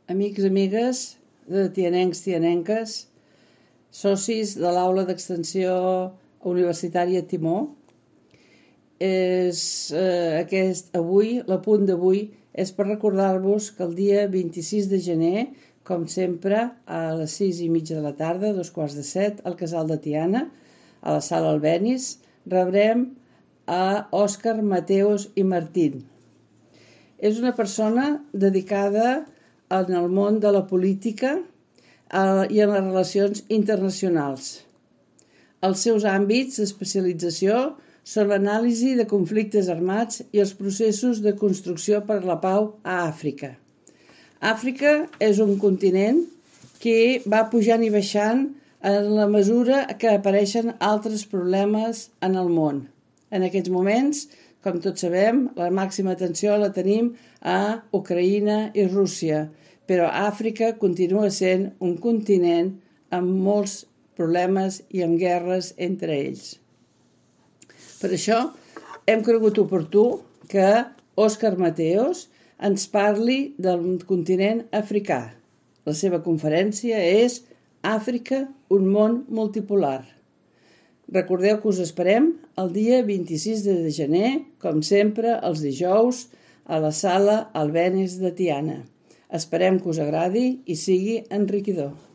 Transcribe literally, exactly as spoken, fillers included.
amics, amigues de tianencs, tianenques, socis de l'aula d'extensió universitària Timó. És, eh, aquest, avui, l'apunt d'avui, és per recordar-vos que el dia vint-i-sis de gener, com sempre, a les sis i mitja de la tarda, dos quarts de set, al Casal de Tiana, a la sala Albéniz, rebrem a Òscar Mateos i Martín. És una persona dedicada en el món de la política eh, i en les relacions internacionals. Els seus àmbits d'especialització són l'anàlisi de conflictes armats i els processos de construcció per la pau a Àfrica. Àfrica és un continent que va pujant i baixant en la mesura que apareixen altres problemes en el món. En aquests moments, com tots sabem, la màxima atenció la tenim a Ucraïna i Rússia, però Àfrica continua sent un continent amb molts problemes i amb guerres entre ells. Per això hem cregut oportú que Òscar Mateos ens parli del continent africà. La seva conferència és Àfrica, un món multipolar. Recordeu que us esperem el dia vint-i-sis de gener, com sempre, els dijous, a la sala Albéniz de Tiana. Esperem que us agradi i sigui enriquidor.